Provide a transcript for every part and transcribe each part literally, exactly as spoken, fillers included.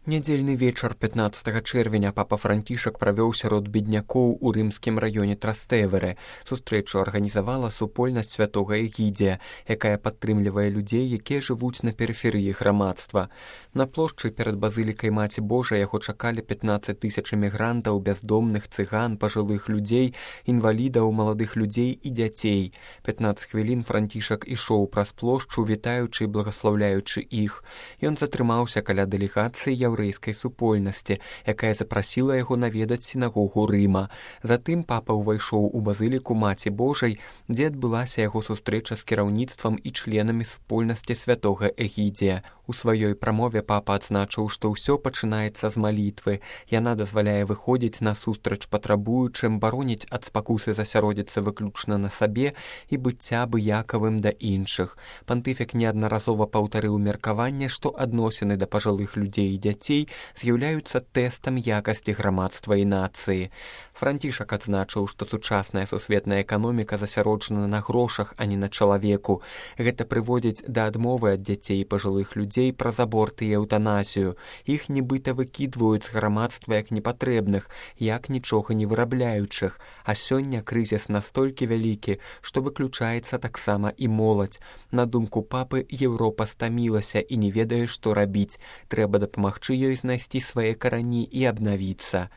Нядзельны вечар пятнаццатага чэрвеня папа Францішак правёў сярод беднякоў у рымскім раёне Трастэверы. Сустрэчу арганізавала супольнасць святога Эгідзія, якая падтрымлівае людзей, якія жывуць на перыферыі грамадства. На плошчы перад базылікай Маці Божай яго чакалі пятнаццаць тысяч эмігрантаў, бяздомных, цыган, пажылых людзей, інвалідаў, маладых людзей і дзяцей. пятнаццаць хвілін Францішак ішоў праз плошчу, вітаючы і благаслаўляючы іх. Ён затрымаўся каля дэлегацыі яўрэйскай супольнасці, якая запрасіла яго наведаць сінагогу Рыма. Затым папа ўвайшоў у базыліку Маці Божай, дзе адбылася яго сустрэча з кіраўніцтвам і членамі супольнасці святога Эгідзія. У сваёй прамове папа адзначыў, што ўсё пачынаецца з малітвы. Яна дазваляе выходзіць насустрач патрабуючым, бароніць ад спакусы засяродзіцца выключна на сабе і быцця абыякавым да іншых. Пантыфік неаднаразова паўтарыў меркаванне, што адносіны да пажылых людзей і дзяцей з'яўляюцца тэстам якасці грамадства і нацыі. Францішак адзначыў, што сучасная сусветная эканоміка засяроджана на грошах, а не на чалавеку. Гэта прыводзіць да адмовы ад дзяцей і пажылых людзей праз аборт і эўтаназію. Іх нібыта выкідваюць з грамадства як непатрэбных, як нічога не вырабляючых. А сёння крызіс настолькі вялікі, што выключаецца таксама і моладзь. На думку папы, Еўропа стамілася і не ведае, што рабіць. Трэба дапамагчы ёй знайсці свае карані і абнавіцца.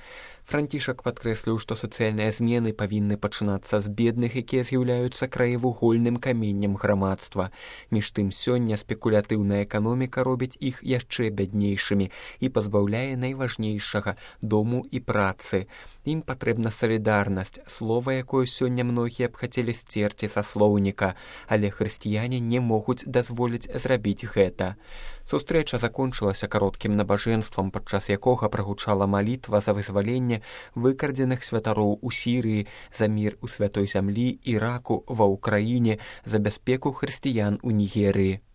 Францішак падкрэсліў, што сацыяльныя змены павінны пачынацца з бедных, якія з'яўляюцца краевугольным каменнем грамадства. Між тым сёння спекулятыўная эканоміка робіць іх яшчэ бяднейшымі і пазбаўляе найважнейшага дому і працы. Ім патрэбна салідарнасць, слова, якое сёння многія б хацелі сцерці са слоўніка, але хрысціяне не могуць дазволіць зрабіць гэта. Сустрэча закончылася кароткім набажэнствам, падчас якога прагучала малітва за вызваленне выкрадзеных святароў у Сірыі, за мір у святой зямлі, Іраку, ва Ўкраіне, за бяспеку хрысціян у Нігерыі.